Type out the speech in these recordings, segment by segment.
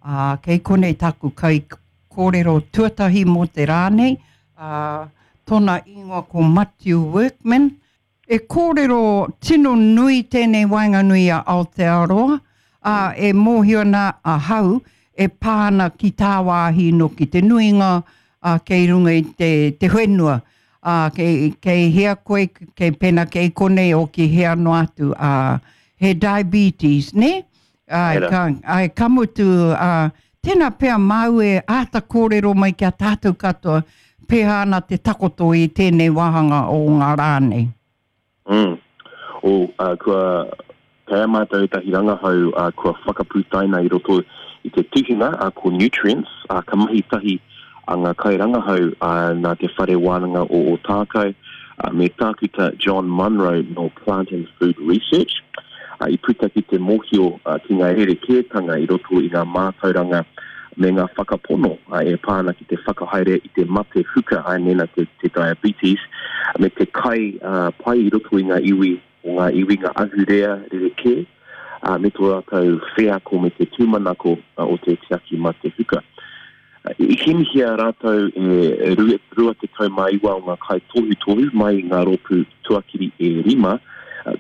Ā, kei konei tāku kaikōrero tuatahi mō te rā nei, ā, tōna ingoa ko Matiu Workman. E kōrero tino nui tēnei waenganui i a Aotearoa, ā, e mōhio ana ahau e pā ana ki tāwāhi noki te nuinga, ā, kei runga i te, te whenua, ā, kei, kei hea koe, kei pēnā kei konei o ki hea noa atu, ā, he diabetes, nē? Āe, ka, āe, ka mutu, ā, tēnā pea māu e āta kōrero mai ki a tātou katoa, pēhea ana te takoto i tēnei wāhanga o ngā rā nei? Mm. O, ā, kua, kei a mātou ētahi rangahau, ā, kua whakaputaina i roto i te tuhinga, ā, ko Nutrients, ā, ka mahi tahi a ngā kairangahau, ā, nā Te Whare Wānanga o Ōtākou, ā, me Tākuta John Munro nō Plant and Food Research, ā, i puta ki te mōhio ki ngā rerekētanga i roto i ngā mātauranga me ngā whakapono ā, e pā ana ki te whakahaere i te mate huka, ā, mēnā te, te diabetes, me te kai ā, pai i roto i ngā iwi o ngā iwi, ngā ahurea rerekē, ā, me tō rātou wheako me te tūmanako o te tiaki mate huka. I kimihia rātou e 29 o ngā kaitohutohu mai i ngā rōpū tuakiri e rima,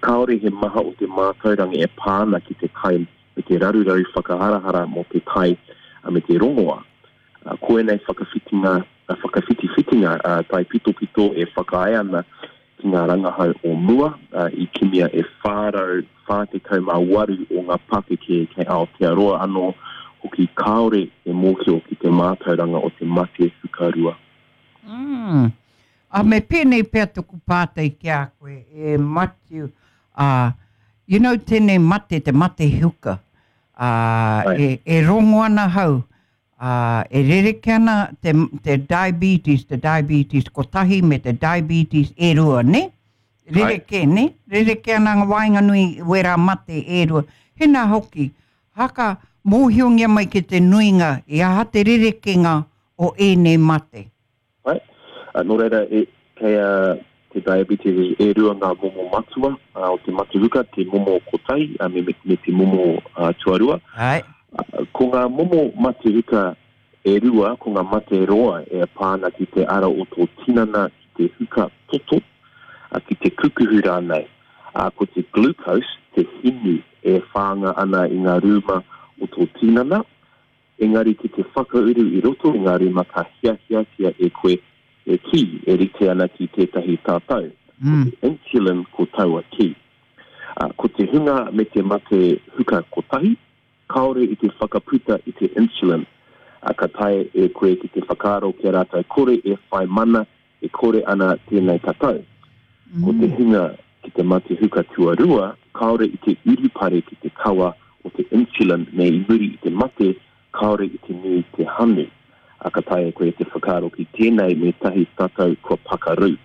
kāore he maha o te mātauranga e pā ana ki te kai me te raruraru whakaharahara mō te kai me te rongoā. Ko ēnei whakawhitinga, whakawhitiwhitinga taipitopito e whakaae ana ki ngā rangahau o mua, i kimia e 448 o ngā pakeke kei Aotearoa anō hoki kāore e mōhio ki te mātauranga o te mate hukarua. Mm. A me pēnei pea toku pātai ki a koe, e Matiu, a, you know tēnei mate, te mate huka, a, e, e rongo ana hau, Ā, e rerekē ana te, te diabetes, te diabetes kotahi me te diabetes e rua, nē? Rerekē, nē? Rerekē ana ngā waenganui i wērā mate e rua. Hēnā hoki, haka mōhiongia mai ki te nuinga i aha te rerekēnga o ēnei mate? Pai. Nō reira, e, kei a te diabetes e rua ngā momo matua o te matuhuka, te momo kotahi me, me, me te momo tuarua. Ai. Ko ngā momo matuhuka e rua, ko ngā mate roa e pā ana ki te ara o tō tinana, ki te huka toto, ki te kukuhu rānei. Ko te glucose, te hinu e whānga ana i ngā rūma o tō tinana, Engari ki te whakauru i roto i ngā rūma ka hiahiatia e koe e kī e rite ana ki tētahi tatau, ko te insulin ko taua kī. Ko te hunga me te mate huka kotahi, kāore i te whakaputa i te insulin, ka taea e koe ki te whakaaro ki a rātou kore e whai mana e kore ana tēnei tatau. Ko te hunga ki te mate huka tuarua, kāore i te urupare ki te kawa o te insulin me i muri i te mate, kāore i te nui te hanu. Ā, ka taea e koe te whakaaro ki tēnei me tahi tatau kua pakaru.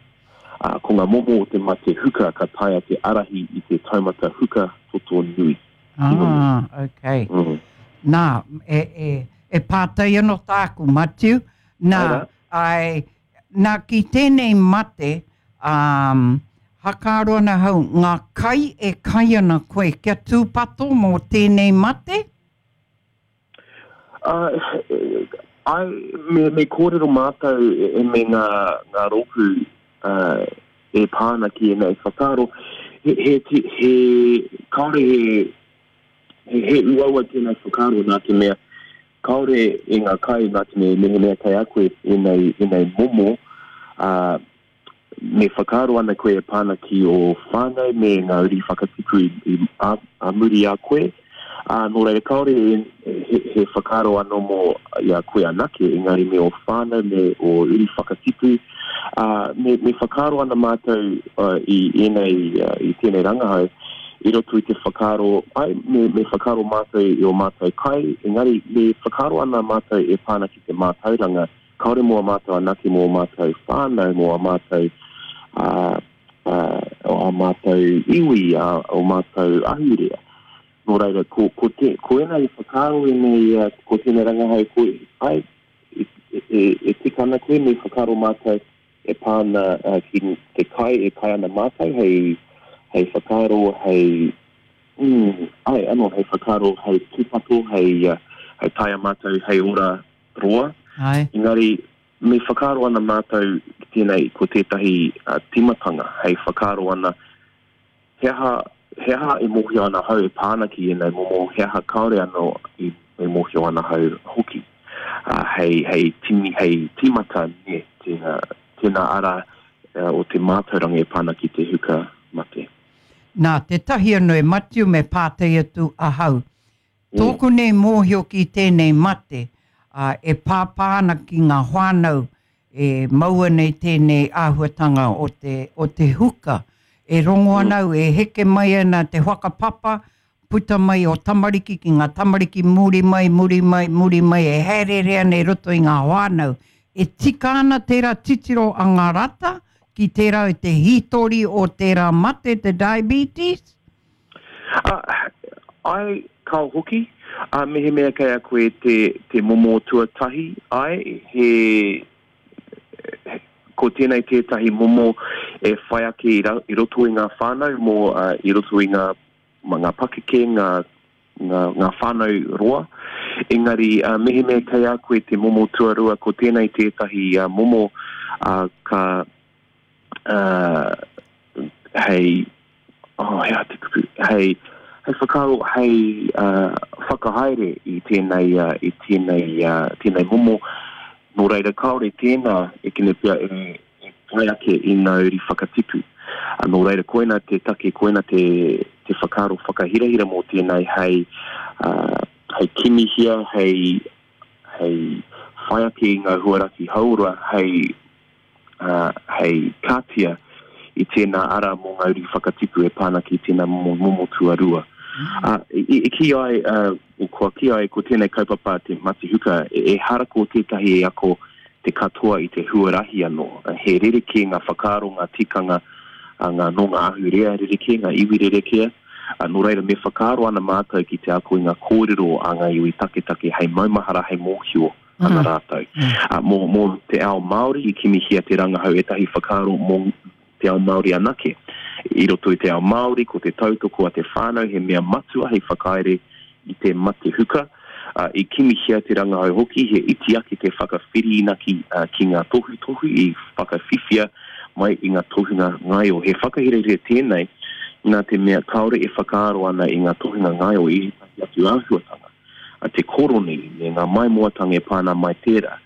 Ā, ko ngā momo o te mate huka ka taea te ārahi i te taumata huka toto nui. Ah, okay. Mm. Nā, e, e, e pātai anō tāku, Matiu. Nā, ai, Nā, ki tēnei mate, ā, hakaaro ana ahau, ngā kai e kai ana koe, kia tūpato mō tēnei mate? Ā, āe, me, me kōrero mātou e, me ngā, ngā rōpū ā, e pā ana ki ēnei whakaaro, he, he, he, kāore he, he, he uaua tēnei whakaaro nā te mea, Kāore i ngā kai nā te mea mehemea kei a koe ēnei, ēnei momo, ā, me whakaaro ana koe e pā ana ki ō whānau me ngā uri whakatipu i, i, ā, ā muri i a koe. Ā, nō reira kāore he, he, he whakaaro anō mō i a koe anake, engari me ō whānau, me ō uri whakatipu. Ā, me, me whakaaro ana mātou i ēnei, i tēnei rangahau, i roto i te whakaaro, ai, me, me whakaaro mātou i ō mātou kai, engari me whakaaro ana mātou e pā ana ki te mātauranga, kāore mō a mātou anake, mō ō mātou whānau, mō ā mātou, ā, ā, ā mātou iwi, ā, ō mātou ahurea. Nō reira, ko, ko, te, ko ēnei whakaaro, ēnei, ko tēnei rangahau, ko, ai, e, e, e tika ana koe, me whakaaro mātou, e pā ana ki te kai e kai ana mātou hei, hei whakaaro, hei, mm, ai, anō, hei whakaaro, hei tūpato, hei, hei taea mātou hei ora roa. Ai. Engari, me whakaaro ana mātou ki tēnei ko tētahi uh, timatanga hei whakaaro ana he aha, he aha e mōhio ana hau e pā ana ki ēnei momo, he aha kāore anō i, e mōhio ana hau hoki. Uh, hei, hei, tini, hei timata ne, tēnā, tēnā ara uh, o te mātauranga e pā ana ki te huka mate. Nā, tētahi anō e Matiu me pātai atu ahau. Tōku nei mōhio ki tēnei mate, ā, e pāpā ana ki ngā whānau e maua nei tēnei āhuatanga o te, o te huka. E rongo ana au, e heke mai ana te whakapapa, puta mai o tamariki ki ngā tamariki muri mai, muri mai, muri mai, e haereere ana i roto i ngā whānau. E tika ana tērā titiro a ngā rata ki tērā i te hītori o tērā mate, te diabetes? Ā, āe, kao hoki. Ā, mehemea kei a koe te, te momo tuatahi, āe, he, he, ko tēnei tētahi momo e whai ake i, ra, i roto i ngā whānau mō, uh, i roto i ngā, ngā pakeke, ngā, ngā, ngā whānau roa. Engari, uh, mehemea kei a koe te momo tuarua, ko tēnei tētahi uh, momo uh, ka, uh, hei, oh, he aha te kupu, hei, hei whakaaro, hei uh, whakahaere i tēnei, uh, i tēnei, uh, tēnei momo. Nō reira, kāore tēnā e kene pea e, e whai ake i ngā uri whakatipu. Uh, nō reira, koina te take, koina te, te whakaaro whakahirahira mō tēnei hei, uh, hei kimihia, hei, hei whai ake i ngā huaraki hauora, hei ā, hei kātia i tēnā ara mō ngā uri whakatipu e pā ana ki tēnā momo, momo tuarua. Ā, i, i kī ai, ā, kua kī ai ko tēnei kaupapa te matihuka, e, ehara ko tētahi e ako te katoa i te huarahi anō. He rerekē ngā whakaaro, ngā tikanga, ā, ngā, nō ngā ahurea rerekē, ngā iwi rerekē, ā, nō reira me whakaaro ana mātou ki te ako i ngā kōrero a ngā iwi taketake hei maumahara, hei mōhio ana rātou. Ā, mō, mō te ao Māori i kimihia te rangahau ētahi whakaaro mō te ao Māori anake. I roto i te ao Māori, ko te tautoko a te whānau he mea matua hei whakaere i te mate huka. Ā, i kimihia te rangahau hoki he iti ake te whakawhirinaki ki ngā tohutohu i whakawhiwhia mai i ngā tohunga ngaio. He whakahirahira tēnei nā te mea kāore e whakaaro ana i ngā tohunga ngaio i ētahi atu āhuatanga. a te koroni me ngā maimoatanga e pā ana mai tērā.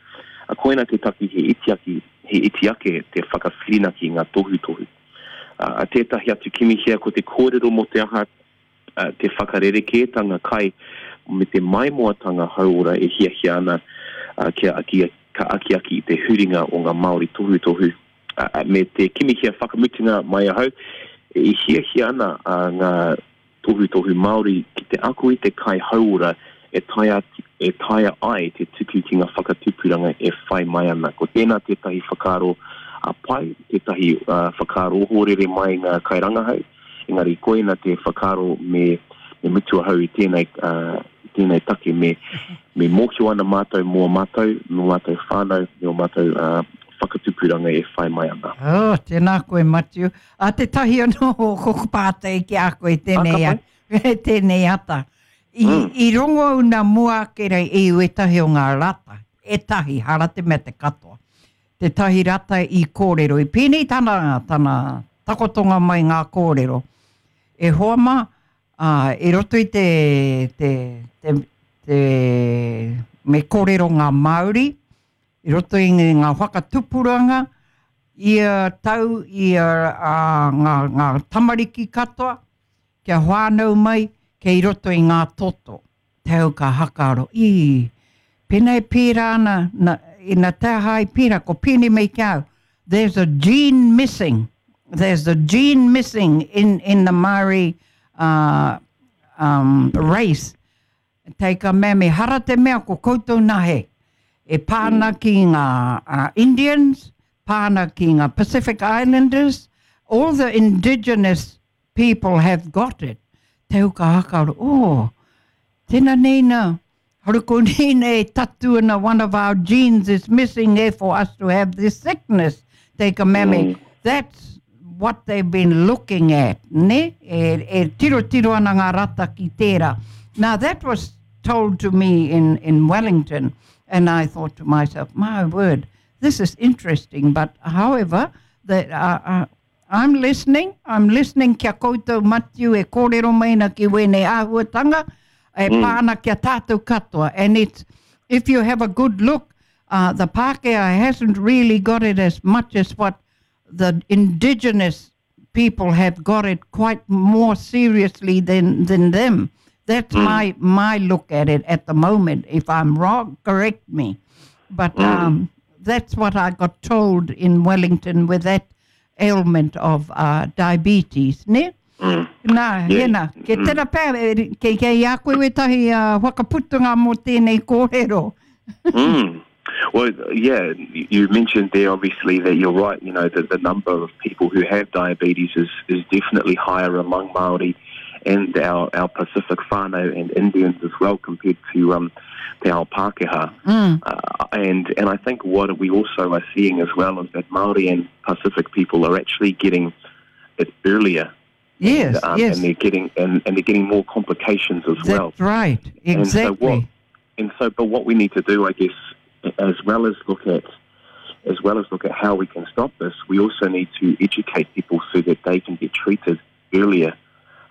A koina te taki he iti ake, he iti ake te whakawhirinaki i ngā tohutohu. A, a tētahi atu kimihia ko te kōrero mō te aha a, te whakarerekētanga kai me te maimoatanga hauora e hiahia ana a, kia, kia, ka akiaki i te huringa o ngā Māori tohutohu a, a, me te kimihia whakamutunga mai ahau e hiahia ana a, ngā tohutohu Māori ki te ako i te kai hauora e taea, e taea ai te tuku ki ngā whakatupuranga e whai mai ana. Ko tēnā tētahi whakaaro a pai, tētahi uh, whakaaro ohorere mai ngā kairangahau, engari koina te whakaaro me, me mutu ahau i tēnei, uh, i tēnei take, me, me mōhio ana mātou mō mātou, mō mātou whānau, me ō mātou uh, whakatupuranga e whai mai ana. Oh, tēnā koe, Matiu. A tētahi anō o koko pātai ki a koe tēnei, a, tēnei ata. I, mm. I rongo au nā mua ake rei i wētahi o ngā rata, ētahi, hara te mea te katoa. Tētahi rata i kōrero, i pēnei tana, tana takotonga mai ngā kōrero. E hoa mā, ā, i roto i te, te, te, te, me kōrero ngā Māori, I roto i ngā whakatupuranga, ia tau, ia ngā, ngā tamariki katoa, kia whānau mai, kei roto i ngā toto. Te au ka hakaaro, ī, pēnā e pērā ana, na, ina te aha ai pērā, ko pēnei mai ki a au, there's a gene missing, there's a gene missing in, in the Māori uh, um, race. Take a mea me hara te mea ko koutou na he. E pā ana ki ngā uh, Indians, pā ana ki ngā Pacific Islanders, all the indigenous people have got it. Te huka hakaaro, oh, tēnā nei nā, haruko nei nā e tatu ana one of our genes is missing, therefore us to have this sickness. Take a mea me, that's what they've been looking at, ne? E, e tirotiro ana ngā rata ki tērā. Now that was told to me in, in Wellington. And I thought to myself, my word, this is interesting. But however, that uh, uh, I'm listening, I'm listening kia koutou Matiu e kōrero mai na ki wēnei āhuatanga, e mm. pāna kia tātou katoa. And it's, if you have a good look, uh, the Pākehā hasn't really got it as much as what the indigenous people have got it quite more seriously than, than them. That's mm. my, my look at it at the moment. If I'm wrong, correct me. But mm. um, that's what I got told in Wellington with that ailment of uh, diabetes, ne? Mm. Nā, yeah. hena, ke mm. tera pēr, ke, ke i a koe wetahi uh, whakaputunga mō tēnei kōrero. mm. Well, yeah, you mentioned there obviously that you're right, you know, that the number of people who have diabetes is, is definitely higher among Māori and our, our Pacific whānau and Indians as well compared to um, te ao Pākehā. Mm. Uh, and, and I think what we also are seeing as well is that Māori and Pacific people are actually getting it earlier. Yes, and, um, yes. And they're getting and, and they're getting more complications as That's well. That's right. Exactly. And so, what, and so, but what we need to do, I guess, as well as look at as well as look at how we can stop this, we also need to educate people so that they can get treated earlier.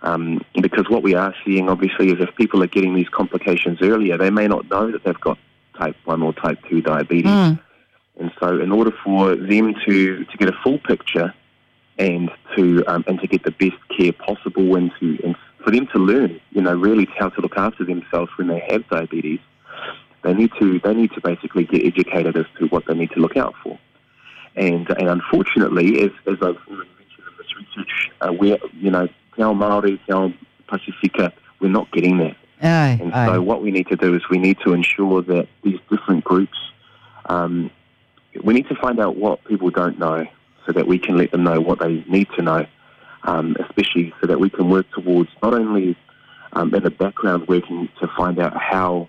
Um, because what we are seeing, obviously, is if people are getting these complications earlier, they may not know that they've got type 1 or type 2 diabetes. Mm. And so, in order for them to, to get a full picture and to um, and to get the best care possible and to and for them to learn, you know, really how to look after themselves when they have diabetes, they need to they need to basically get educated as to what they need to look out for. And and unfortunately, as, as I've mentioned in this research, uh, we're you know, Te Ao Māori, Te Ao Pasifika, we're not getting that. Aye, and aye. so what we need to do is we need to ensure that these different groups, um, we need to find out what people don't know so that we can let them know what they need to know, um, especially so that we can work towards not only um, in the background working to find out how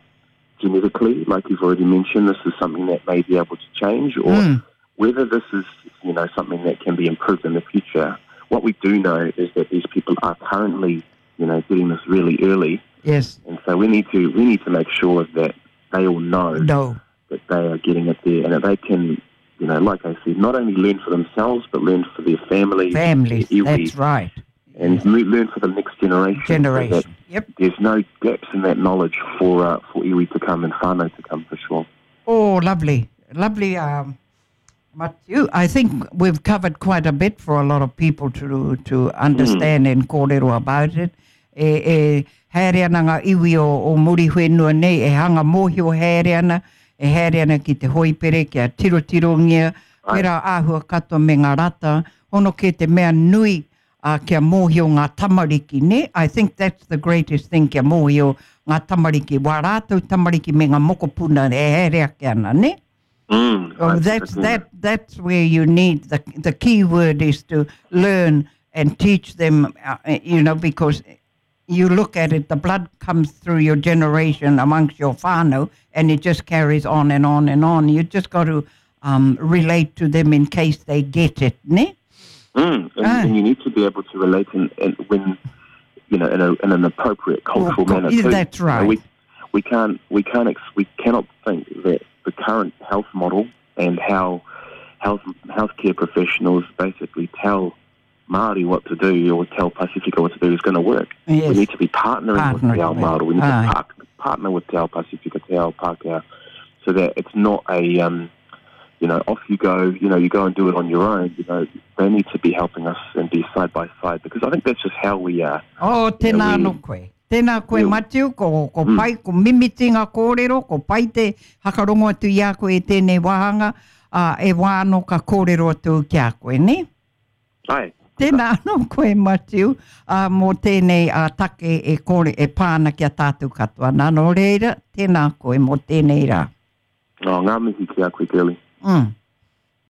genetically, like you've already mentioned, this is something that may be able to change or mm. whether this is you know something that can be improved in the future. What we do know is that these people are currently you know getting this really early. Yes. And so we need to we need to make sure that they all know no. that they are getting it there and that they can you know, like I said, not only learn for themselves, but learn for their families. Families, their that's right. And learn for the next generation. Generation, so yep. There's no gaps in that knowledge for, uh, for iwi to come and whānau to come for sure. Oh, lovely. Lovely, um, Matthew. I think we've covered quite a bit for a lot of people to, to understand mm. and kōrero about it. E, e haere ana ngā iwi o, o Muriwhenua nei, e hanga mōhio haere ana, e haere ana ki te hoipere, kia tirotirongia, pērā āhua katoa me ngā rata, hono kē te mea nui uh, kia mōhio ngā tamariki, ne? I think that's the greatest thing, kia mōhio ngā tamariki, wā rātou tamariki me ngā mokopuna e haere ake ana, ne? Mm, oh, that's, that, that's where you need, the, the key word is to learn and teach them, uh, you know, because you look at it, the blood comes through your generation amongst your whānau, and it just carries on and on and on. You just got to um, relate to them in case they get it, ne? Mm, and, ah. and you need to be able to relate in, in when, you know, in, a, in an appropriate cultural well, manner. Too. That's right. You know, we, we can't, we can't, ex, we cannot think that the current health model and how health healthcare professionals basically tell Māori what to do or tell Pasifika what to do is going to work. Yes. We need to be partnering, partnering with Te Ao Māori. We need Aye. to par- partner with Te Ao Pasifika, Te Ao Pākehā, so that it's not a, um, you know, off you go, you know, you go and do it on your own. You know, they need to be helping us and be side by side because I think that's just how we are. Oh, tēnā You know, anō koe. Tēnā koe, Yeah. Matiu, ko, ko Mm. pai, ko mimiti ngā kōrero, ko pai te hakarongo atu i a koe e tēnei wāhanga, uh, e wā anō ka kōrero atu ki a koe, ne? Ai. Tēnā anō koe, Matiu, uh, mō tēnei uh, take e, kōre, e pāna ki a tātou katoa. Nā, nō reira, tēnā koe mō tēnei rā. Oh, ngā mihi ki a koe, Girlie. Mm.